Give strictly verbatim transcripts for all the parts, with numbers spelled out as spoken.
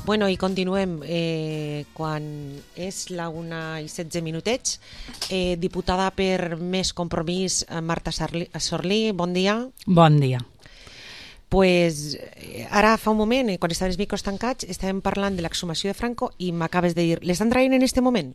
Bueno, i continuem. Eh, quan és la una i setze minutets, eh, diputada per Més Compromís, Marta Sorlí, bon dia. Bon dia. Pues, ara fa un moment, quan estaven els micros tancats, estàvem parlant de l'exhumació de Franco i m'acabes de dir, l'estan traient en este moment?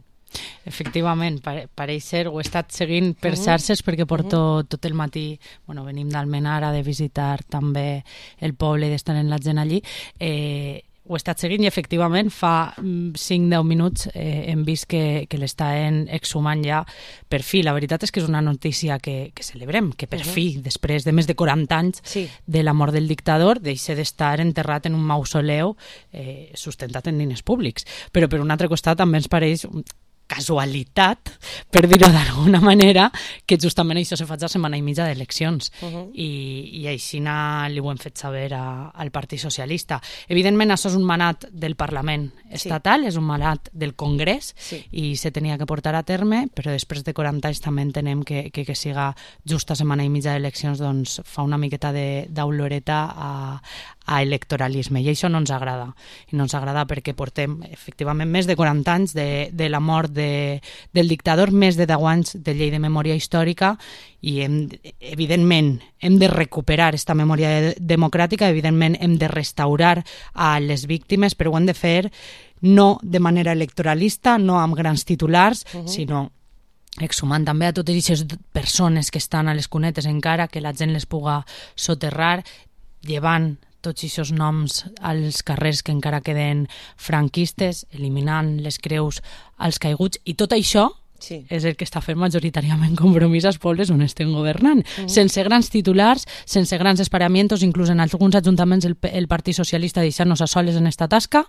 Efectivament, pare, pareix ser, ho he estat seguint per xarxes perquè porto tot el matí, bueno, venim d'Almenar, de visitar també el poble i d'estar en la gent allí, eh, ho he estat seguint i efectivament fa cinc deu minuts eh, hem vist que, que l'estaven exhumant ja per fi. La veritat és que és una notícia que, que celebrem, que per uh -huh. fi, després de més de quaranta anys sí. de la mort del dictador, deixa d'estar enterrat en un mausoleu eh, sustentat en diners públics. Però per un altre costat també ens pareix casualitat, per dir-ho d'alguna manera, que justament això se faig a setmana i mitja d'eleccions. Uh -huh. I, i així li ho hem fet saber a, al Partit Socialista. Evidentment, això és un manat del Parlament estatal, sí. és un manat del Congrés, sí. i se tenia que portar a terme, però després de quaranta anys també entenem que, que, que siga justa setmana i mitja d'eleccions, doncs fa una miqueta d'oloreta a, a electoralisme, i això no ens agrada. I no ens agrada perquè portem, efectivament, més de quaranta anys de, de la mort de, del dictador, més de deu anys de llei de memòria històrica, i hem, evidentment hem de recuperar aquesta memòria democràtica, evidentment hem de restaurar a les víctimes, però ho hem de fer no de manera electoralista, no amb grans titulars, uh -huh. sinó exhumant també a totes aquestes persones que estan a les cunetes encara, que la gent les puga soterrar, llevant tots aquests noms als carrers que encara queden franquistes, eliminant les creus als caiguts, i tot això sí. és el que està fent majoritàriament Compromís als pobles on estem governant, uh -huh. sense grans titulars, sense grans esparamientos, inclús en alguns ajuntaments el, el Partit Socialista deixant-nos a soles en esta tasca,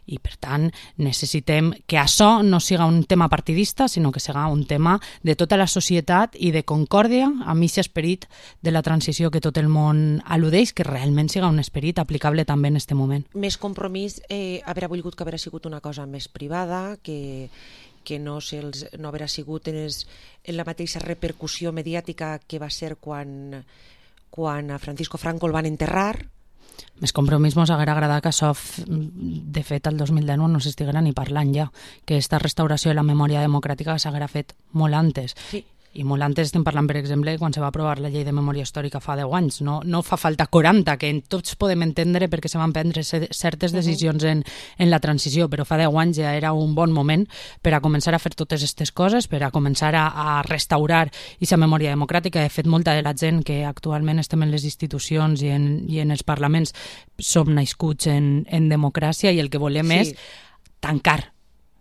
i per tant necessitem que això no siga un tema partidista, sinó que siga un tema de tota la societat i de concòrdia amb aquest esperit de la transició que tot el món al·ludeix, que realment siga un esperit aplicable també en aquest moment. Més Compromís eh, haurà volgut que haurà sigut una cosa més privada, que que no, els, no haurà sigut en, els, en la mateixa repercussió mediàtica que va ser quan, quan a Francisco Franco el van enterrar. Més Compromís mos haguera agradat que això, de fet, el dos mil deu no s'estiguera ni parlant ja, que aquesta restauració de la memòria democràtica s'haguera fet molt antes. Sí. I molt antes estem parlant, per exemple, quan se va aprovar la llei de memòria històrica fa deu anys. No, no fa falta quaranta, que tots podem entendre perquè se van prendre certes decisions en, en la transició, però fa deu anys ja era un bon moment per a començar a fer totes aquestes coses, per a començar a, a restaurar aquesta memòria democràtica. De fet, molta de la gent que actualment estem en les institucions i en, i en els parlaments som nascuts en, en democràcia, i el que volem sí. és tancar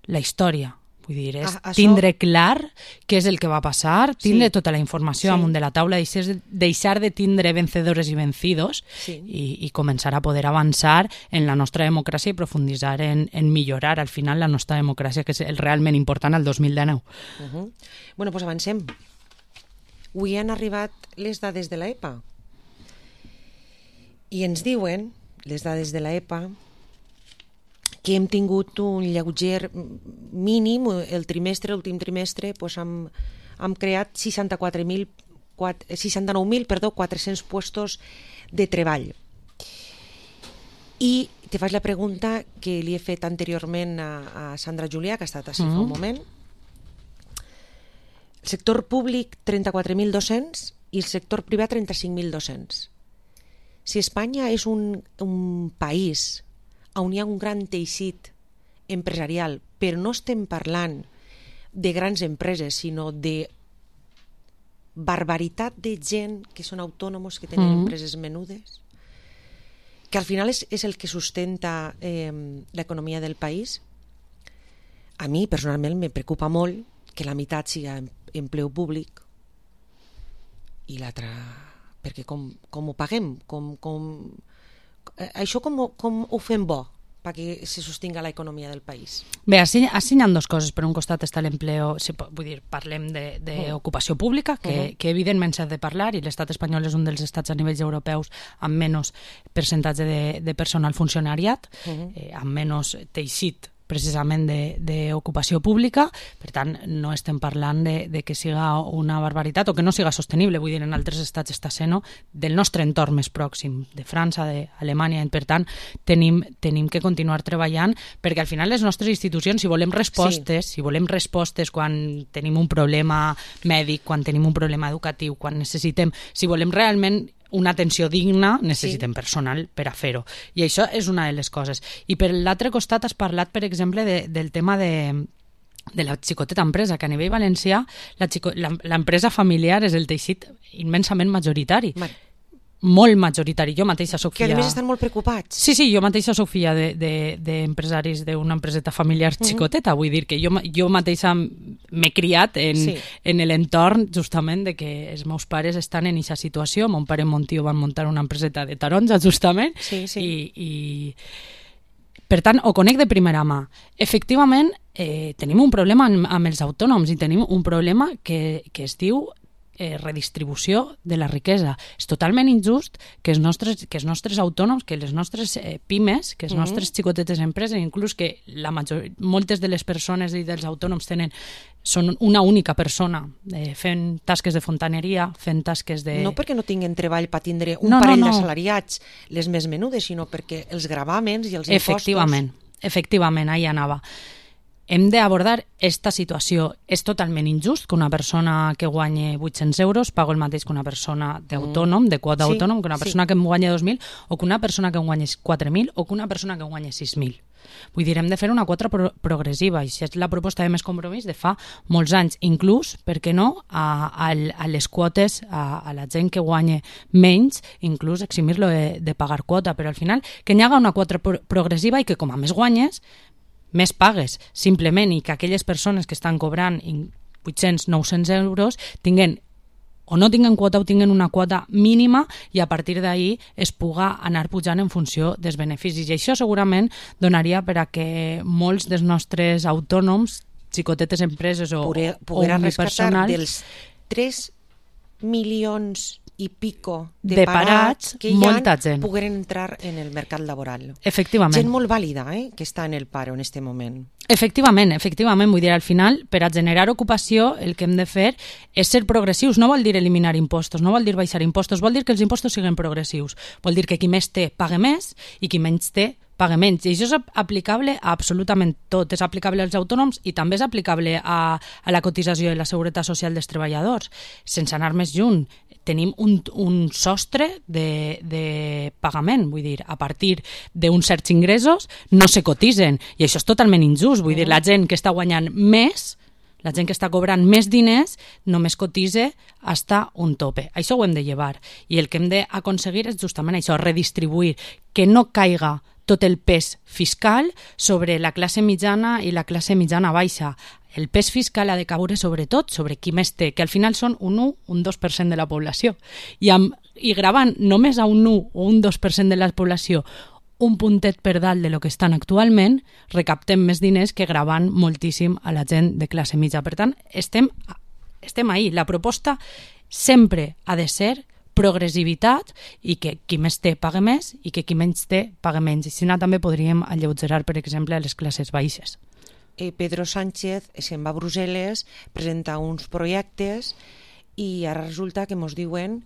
la història. Vull dir, és a, això... tindre clar què és el que va passar, tindre sí. tota la informació sí. amunt de la taula, deixar de tindre vencedores i vencidos sí. i, i començar a poder avançar en la nostra democràcia i profunditzar en, en millorar al final la nostra democràcia, que és el realment important al dos mil dinou. Uh -huh. Bueno, doncs avancem. Avui han arribat les dades de l'E P A i ens diuen, les dades de l'E P A, que hem tingut un lleuger mínim, el trimestre, l'últim trimestre, doncs hem, hem creat seixanta-quatre mil, seixanta-nou mil quatre-cents puestos de treball. I te faig la pregunta que li he fet anteriorment a, a Sandra Julià, que ha estat així mm. fa un moment. El sector públic, trenta-quatre mil dos-cents, i el sector privat, trenta-cinc mil dos-cents. Si Espanya és un, un país on hi ha un gran teixit empresarial, però no estem parlant de grans empreses, sinó de barbaritat de gent que són autònoms, que tenen mm. empreses menudes, que al final és, és el que sustenta eh, l'economia del país. A mi, personalment, me preocupa molt que la meitat siga empleu públic i l'altra... perquè com, com ho paguem? Com... com això com, com ho fem bo perquè se sostinga l'economia del país? Bé, així, així hi ha dues coses. Per un costat està l'empleo, vull dir, parlem d'ocupació pública, que, uh -huh. que evidentment s'ha de parlar, i l'estat espanyol és un dels estats a nivells europeus amb menys percentatge de, de personal funcionariat, uh -huh. eh, amb menys teixit precisament d'ocupació pública, per tant no estem parlant de, de que siga una barbaritat o que no siga sostenible, vull dir, en altres estats està sent del nostre entorn més pròxim, de França, d'Alemanya, per tant tenim, tenim que continuar treballant perquè al final les nostres institucions, si volem respostes, sí. si volem respostes quan tenim un problema mèdic, quan tenim un problema educatiu, quan necessitem, si volem realment una atenció digna, necessitem sí. personal per a fer-ho. I això és una de les coses. I per l'altre costat has parlat, per exemple, de, del tema de, de la xicoteta empresa, que a nivell valencià l'empresa familiar és el teixit immensament majoritari. Mar molt majoritari. Jo mateixa soc filla... Que a més estan molt preocupats. Sí, sí, jo mateixa soc filla d'empresaris de, de, d'una empreseta familiar xicoteta. Mm-hmm. Vull dir que jo, jo mateixa m'he criat en, sí. en l'entorn justament de que els meus pares estan en aquesta situació. Mon pare i mon tio van muntar una empreseta de taronja justament sí, sí. I, i per tant ho conec de primera mà. Efectivament, eh, tenim un problema amb, amb els autònoms i tenim un problema que, que es diu Eh, redistribució de la riquesa. És totalment injust que els nostres, que els nostres autònoms, que les nostres eh, pimes, que les mm-hmm. nostres xicotetes empreses, inclús que la major, moltes de les persones i dels autònoms tenen són una única persona eh, fent tasques de fontaneria, fent tasques de... No perquè no tinguin treball per tindre un no, parell no, no. d'assalariats, les més menudes, sinó perquè els gravàmens i els impostos... Efectivament, efectivament, ahí anava. Hem d'abordar aquesta situació. És totalment injust que una persona que guanyi vuit-cents euros pagui el mateix que una persona d'autònom, de quota sí, autònom, que una persona sí. que en guanyi dos mil o que una persona que en guanyi quatre mil o que una persona que en guanyi sis mil. Vull dir, hem de fer una quota pro progressiva i si és la proposta de Més Compromís de fa molts anys, inclús, per què no, a, a, a les quotes, a, a la gent que guanya menys, inclús eximir-lo de, de pagar quota, però al final que hi haga una quota pro progressiva i que com a més guanyes, més pagues, simplement, i que aquelles persones que estan cobrant vuit-cents a nou-cents euros tinguen o no tinguen quota o tinguen una quota mínima i a partir d'ahir es puga anar pujant en funció dels beneficis. I això segurament donaria per a que molts dels nostres autònoms, xicotetes empreses o, Poder, o unipersonals... dels tres milions i pico de, de parats, parats que molta ja gent pogueren entrar en el mercat laboral. Efectivament. Gent molt vàlida, eh, que està en el paro en este moment. Efectivament, efectivament, vull dir, al final, per a generar ocupació, el que hem de fer és ser progressius. No vol dir eliminar impostos, no vol dir baixar impostos, vol dir que els impostos siguin progressius. Vol dir que qui més té pague més i qui menys té pague menys. I això és aplicable a absolutament tot. És aplicable als autònoms i també és aplicable a, a la cotització i la seguretat social dels treballadors. Sense anar més lluny, tenim un, un sostre de, de pagament, vull dir, a partir d'uns certs ingressos no se cotitzen, i això és totalment injust, vull dir, la gent que està guanyant més, la gent que està cobrant més diners només cotitza hasta un tope. Això ho hem de llevar, i el que hem d'aconseguir és justament això, redistribuir, que no caiga tot el pes fiscal sobre la classe mitjana i la classe mitjana baixa. El pes fiscal ha de caure sobretot sobre qui més té, que al final són un u, un dos per cent de la població. I, amb, i gravant només a un u o un dos per cent de la població un puntet per dalt de lo que estan actualment, recaptem més diners que gravant moltíssim a la gent de classe mitja. Per tant, estem, estem ahí. La proposta sempre ha de ser progressivitat i que qui més té pague més i que qui menys té pague menys. I si no, també podríem alleugerar, per exemple, a les classes baixes. Eh, Pedro Sánchez se'n va a Brussel·les, presenta uns projectes i ara resulta que ens diuen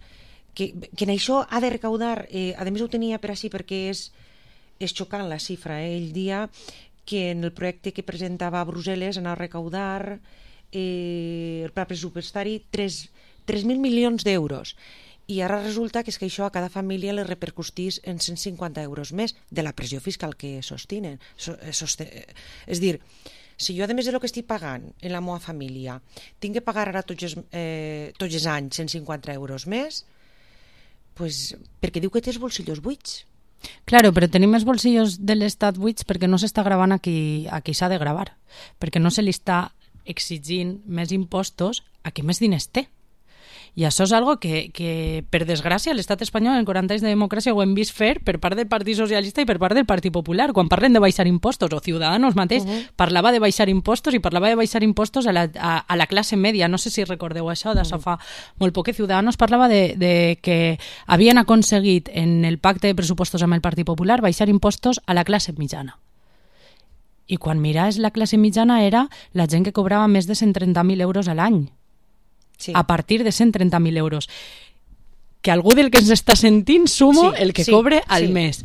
que, que en això ha de recaudar, eh, a més ho tenia per així perquè és, és xocant la xifra, eh? Ell dia que en el projecte que presentava a Brussel·les anava a recaudar eh, el pla pressupostari tres mil milions d'euros. I ara resulta que és que això a cada família li repercutís en cent cinquanta euros més de la pressió fiscal que sostenen. Sosten... És dir, si jo, a més del que estic pagant en la meva família, tinc que pagar ara tots els, eh, tots els anys cent cinquanta euros més, pues, perquè diu que té els bolsillos buits. Claro, però tenim els bolsillos de l'Estat buits perquè no s'està gravant a qui, a qui s'ha de gravar, perquè no se li està exigint més impostos a qui més diners té. I això és algo que, que per desgràcia, l'estat espanyol en quaranta anys de democràcia ho hem vist fer per part del Partit Socialista i per part del Partit Popular. Quan parlen de baixar impostos, o Ciudadanos mateix uh -huh. parlava de baixar impostos i parlava de baixar impostos a la, a, a la classe media. No sé si recordeu això, d'això uh -huh. fa molt poc. Ciudadanos parlava de, de que havien aconseguit en el pacte de pressupostos amb el Partit Popular baixar impostos a la classe mitjana. i quan miraves la classe mitjana era la gent que cobrava més de cent trenta mil euros a l'any. Sí. A partir de cent trenta mil euros. Que algú del que ens està sentint sumo sí, el que sí, cobre al sí. mes.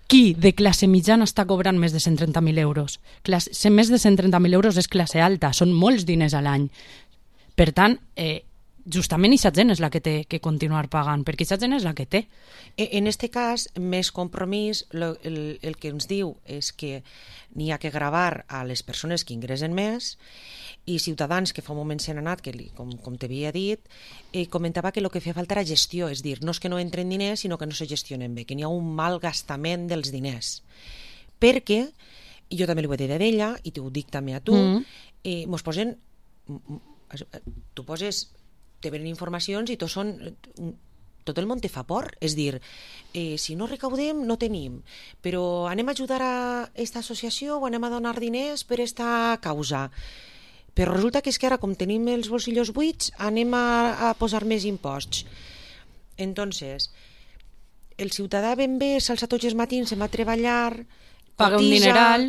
Qui de classe mitjana està cobrant més de cent trenta mil euros? Classe, més de cent trenta mil euros és classe alta, són molts diners a l'any. Per tant, eh, justament aquesta gent és la que té que continuar pagant, perquè aquesta gent és la que té. En aquest cas, més compromís, lo, el, el que ens diu és que n'hi ha que gravar a les persones que ingressen més, i Ciutadans, que fa un moment se n'ha anat, que li, com, com t'havia dit, eh, comentava que el que feia falta era gestió, és dir, no és que no entren diners, sinó que no se gestionen bé, que n'hi ha un mal gastament dels diners. Perquè, i jo també li ho he dit d'ella, i t'ho dic també a tu, mm. eh, mos posen, tu poses, te venen informacions i tot són, tot el món te fa por, és dir, eh, si no recaudem no tenim, però anem a ajudar a aquesta associació o anem a donar diners per aquesta causa. Però resulta que és que ara, com tenim els bolsillos buits, anem a, a posar més imposts. Entonces, el ciutadà ben bé s'alça tots els matins, se'n va a treballar, paga un dineral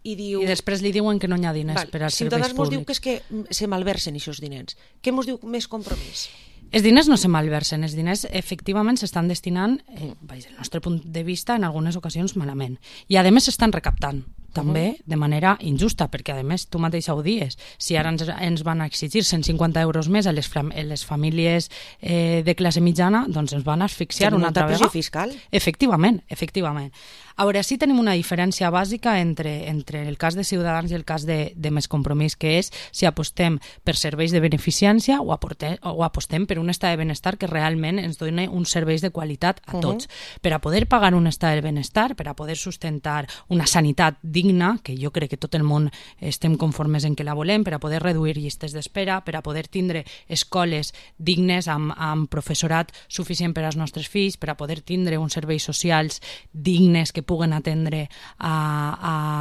i diu... I després li diuen que no hi ha diners val, per als serveis públics. Ciutadans mos diu que és que se malversen aquests diners. Què mos diu més compromís? Els diners no se malversen, els diners efectivament s'estan destinant, eh, des del nostre punt de vista, en algunes ocasions malament. I a més s'estan recaptant. També de manera injusta, perquè a més tu mateixa ho dies, si ara ens, ens van exigir cent cinquanta euros més a les, fam les famílies eh, de classe mitjana, doncs ens van asfixiar una altra vegada. Fiscal? Efectivament, efectivament. A veure, sí tenim una diferència bàsica entre, entre el cas de Ciutadans i el cas de, de Més Compromís, que és si apostem per serveis de beneficència o, aportem, o apostem per un estat de benestar que realment ens doni uns serveis de qualitat a tots. Uh-huh. Per a poder pagar un estat de benestar, per a poder sustentar una sanitat digna, que jo crec que tot el món estem conformes en que la volem, per a poder reduir llistes d'espera, per a poder tindre escoles dignes amb, amb professorat suficient per als nostres fills, per a poder tindre uns serveis socials dignes que puguen atendre a,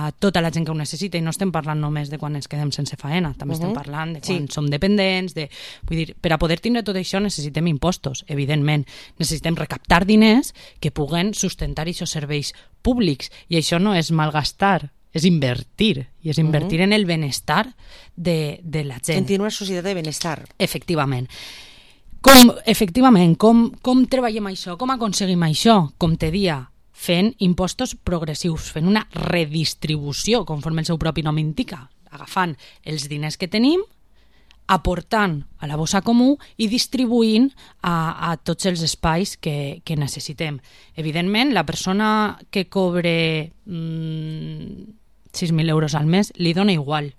a tota la gent que ho necessita, i no estem parlant només de quan ens quedem sense faena, també uh-huh. estem parlant de quan sí. som dependents, de, vull dir, per a poder tindre tot això necessitem impostos, evidentment, necessitem recaptar diners que puguen sustentar aquests serveis públics, i això no és malgastar, és invertir, i és invertir uh-huh. en el benestar de, de la gent. En una societat de benestar. Efectivament. Com, efectivament, com, com treballem això? Com aconseguim això? Com te dia, fent impostos progressius, fent una redistribució, conforme el seu propi nom indica, agafant els diners que tenim, aportant a la bossa comú i distribuint a, a tots els espais que, que necessitem. Evidentment, la persona que cobre mmm, sis mil euros al mes li dona igual.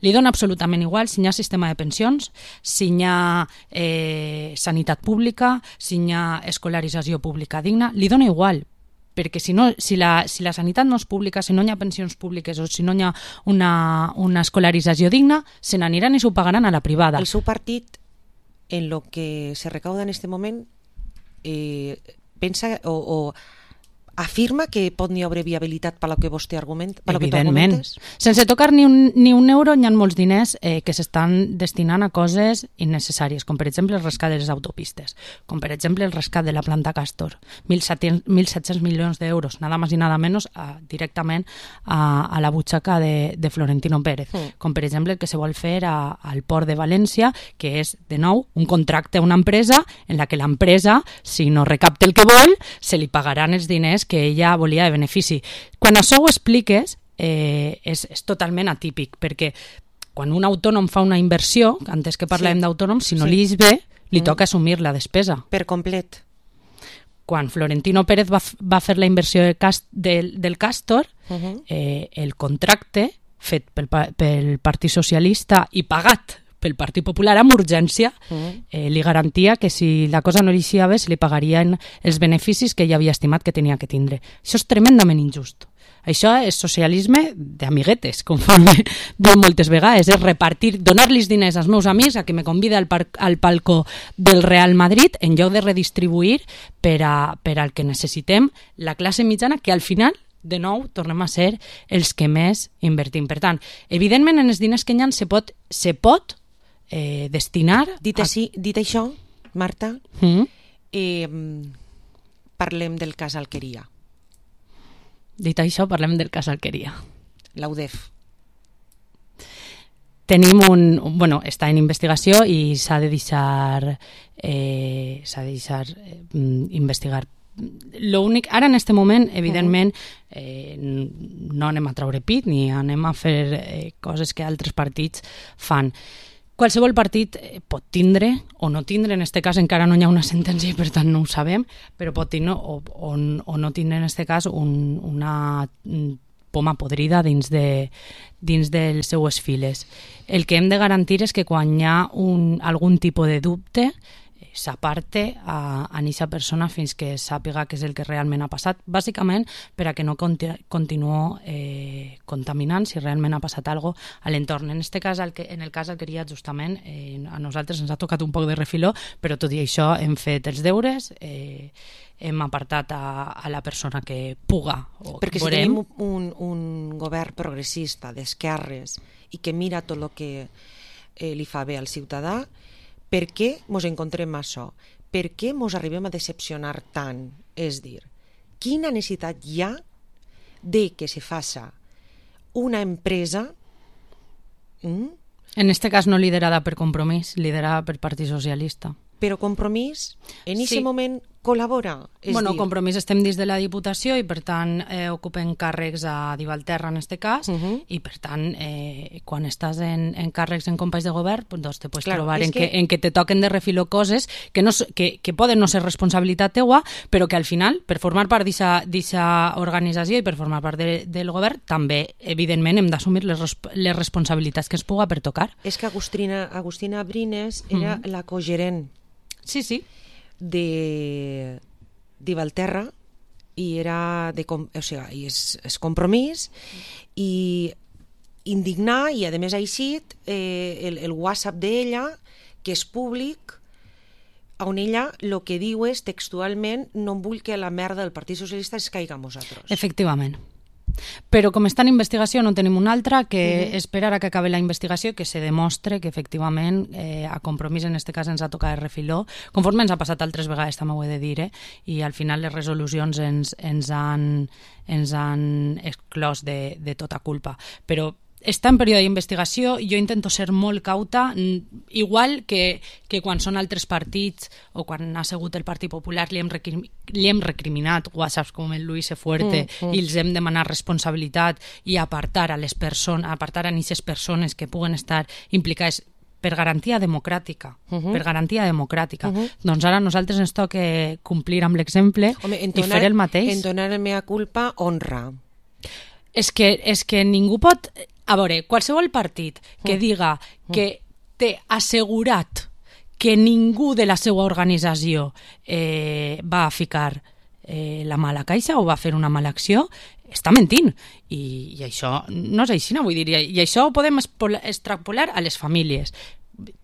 Li dona absolutament igual si hi ha sistema de pensions, si hi ha eh, sanitat pública, si hi ha escolarització pública digna, li dona igual, perquè si, no, si, la, si la sanitat no és pública, si no hi ha pensions públiques o si no hi ha una, una escolarització digna, se n'aniran i s'ho pagaran a la privada. El seu partit, en lo que se recauda en este moment, eh, pensa o, o afirma que pot n'hi haver viabilitat per lo que vostè argumenta? Evidentment. Sense tocar ni un, ni un euro hi ha molts diners eh, que s'estan destinant a coses innecessàries, com per exemple el rescat de les autopistes, com per exemple el rescat de la planta Castor, mil set-cents milions d'euros, nada más i nada menos, a, directament a, a la butxaca de, de Florentino Pérez, mm. com per exemple el que se vol fer a, al Port de València, que és, de nou, un contracte a una empresa en la que l'empresa, si no recapta el que vol, se li pagaran els diners que ella volia de benefici. Quan això ho expliques, eh, és, és totalment atípic, perquè quan un autònom fa una inversió, antes que parlem sí. d'autònom, si no sí. li és bé, li mm. toca assumir la despesa. Per complet. Quan Florentino Pérez va, va fer la inversió de cast, del, del Castor, uh-huh. eh, el contracte fet pel, pel Partit Socialista i pagat pel Partit Popular amb urgència, uh-huh. eh, li garantia que si la cosa no li eixia bé se li pagarien els beneficis que ell havia estimat que tenia que tindre. Això és tremendament injust. Això és socialisme d'amiguetes, conforme diu moltes vegades, és repartir, donar-los diners als meus amics a que me convida al, par al palco del Real Madrid en lloc de redistribuir per, a, per al que necessitem la classe mitjana, que al final de nou tornem a ser els que més invertim. Per tant, evidentment en els diners que hi ha se pot, se pot eh, destinar... Dit, a... així, dit això, Marta, mm? eh, parlem del cas Alqueria. Dit això, parlem del cas Alqueria. L'A U D E F. tenim un... Bueno, està en investigació i s'ha de deixar... Eh, s'ha de deixar eh, investigar. Lo únic, ara en este moment, evidentment, eh, no anem a traure pit ni anem a fer eh, coses que altres partits fan. Qualsevol partit pot tindre o no tindre, en aquest cas encara no hi ha una sentència i per tant no ho sabem, però pot tindre o, o, o no tindre en aquest cas un, una poma podrida dins, de, dins de les seues files. El que hem de garantir és que quan hi ha un, algun tipus de dubte s'aparte a, a aquesta persona fins que sàpiga què és el que realment ha passat, bàsicament per a que no conti continuï eh, contaminant si realment ha passat alguna cosa a l'entorn. En, este cas, el que, en el cas del Querida, justament, eh, a nosaltres ens ha tocat un poc de refiló, però tot i això hem fet els deures, eh, hem apartat a, a la persona que puga. O Perquè que si tenim un, un govern progressista d'esquerres i que mira tot el que eh, li fa bé al ciutadà, per què ens encontrem això? Per què ens arribem a decepcionar tant? És dir, quina necessitat hi ha de que se faça una empresa... Mm? En este cas no liderada per Compromís, liderada per Partit Socialista. Però Compromís en aquest Sí. moment col·labora. És Bueno, dir, Compromís estem dins de la Diputació i per tant eh, ocupen càrrecs a Divalterra en este cas Uh -huh. i per tant eh, quan estàs en, en càrrecs en companys de govern pues, doncs te pots Claro, trobar és en que, que- en que te toquen de refilo coses que, no, s- que, que poden no ser responsabilitat teua però que al final per formar part d'aquesta organització i per formar part de, del govern també evidentment hem d'assumir les, resp les responsabilitats que es puga per tocar. és que Agustina, Agustina Brines era Mhm. la cogerent Sí, sí. de d'Ivalterra i era de, com- o sigui, i és, és compromís i indignar i a més ha eixit eh, el, el WhatsApp d'ella que és públic on ella el que diu és textualment no em vull que la merda del Partit Socialista es caiga a nosaltres. Efectivament. Però com està en investigació no tenim una altra que Uh -huh. esperar a que acabi la investigació que se demostre que efectivament eh, a Compromís en este cas ens ha tocat el refiló, conforme ens ha passat altres vegades també ho he de dir, eh? I al final les resolucions ens, ens, han, ens han exclòs de, de tota culpa. Però està en període d'investigació, jo intento ser molt cauta, igual que, que quan són altres partits o quan ha sigut el Partit Popular li hem, recrim, li hem recriminat whatsapps com el Luis E. Fuerte mm, mm. i els hem demanat responsabilitat i apartar a les persones, apartar a aquestes persones que puguen estar implicades per garantia democràtica, uh -huh. per garantia democràtica. Uh -huh. Doncs ara a nosaltres ens toca complir amb l'exemple i fer el mateix. Entonar el mea culpa honra. És que, és que ningú pot... A veure, qualsevol partit que diga que té assegurat que ningú de la seva organització eh, va a ficar eh, la mala caixa o va a fer una mala acció, està mentint. I, i això no és així, no vull dir. I, i això ho podem extrapolar a les famílies.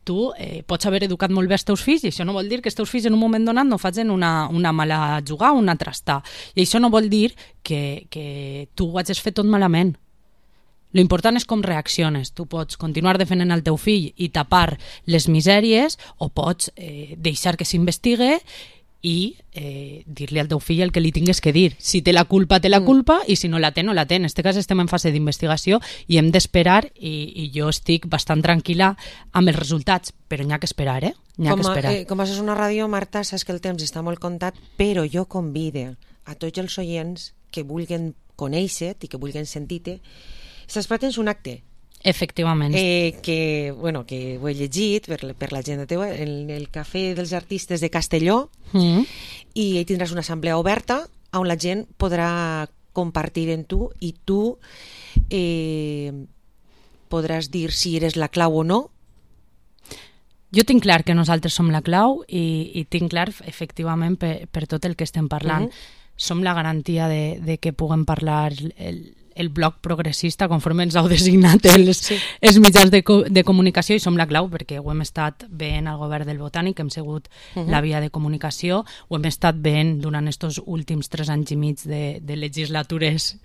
Tu eh, pots haver educat molt bé els teus fills i això no vol dir que els teus fills en un moment donat no facin una, una mala jugada o una trastar. I això no vol dir que, que tu ho hagis fet tot malament. Lo important és com reacciones. Tu pots continuar defendent el teu fill i tapar les misèries o pots eh, deixar que s'investigue i eh, dir-li al teu fill el que li tingues que dir. Si té la culpa, té la culpa i si no la té, no la té. En aquest cas estem en fase d'investigació i hem d'esperar i, i jo estic bastant tranquil·la amb els resultats, però n'hi ha que esperar, eh? N'hi ha Com, que esperar. eh, com és una ràdio, Marta, saps que el temps està molt comptat, però jo convide a tots els oients que vulguin conèixer-te i que vulguin sentir-te. Estàs tens un acte Efectivament. eh, que, bueno, que ho he llegit per, per l'agenda teva, el, el Cafè dels Artistes de Castelló, Mm. i hi tindràs una assemblea oberta on la gent podrà compartir en tu i tu eh, podràs dir si eres la clau o no. Jo tinc clar que nosaltres som la clau i, i tinc clar, efectivament, per, per tot el que estem parlant. Uh -huh. Som la garantia de, de que puguem parlar el, el bloc progressista conforme ens heu designat els, sí. els mitjans de, co de comunicació i som la clau perquè ho hem estat veient al govern del Botànic, hem sigut uh -huh. la via de comunicació, ho hem estat veient durant estos últims tres anys i mig de, de legislatures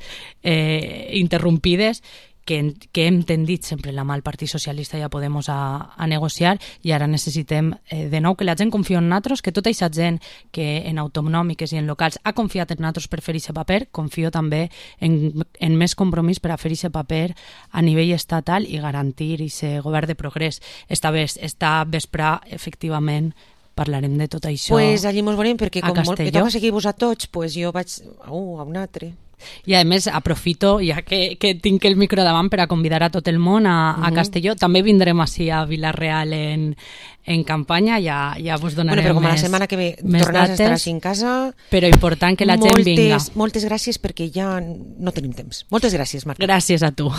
eh, interrompides que, que hem tendit sempre la mà al Partit Socialista i a Podemos a, a negociar, i ara necessitem eh, de nou que la gent confia en nosaltres, que tota aquesta gent que en autonòmiques i en locals ha confiat en nosaltres per fer aquest paper, confio també en, en més compromís per a fer aquest paper a nivell estatal i garantir aquest govern de progrés. Esta, ves, esta vespre, efectivament, parlarem de tot això pues allí mos veurem, perquè com molt, que toca seguir-vos a tots, pues jo vaig a un, a un altre. I a més aprofito, ja que, que tinc el micro davant, per a convidar a tot el món a, a uh-huh. Castelló. També vindrem així a Vila-real en, en campanya, ja, ja vos donarem bueno, però com més, la setmana que ve tornaràs a estar així en casa, però important que la moltes, gent vinga. Moltes gràcies, perquè ja no tenim temps. Moltes gràcies, Marta. Gràcies a tu.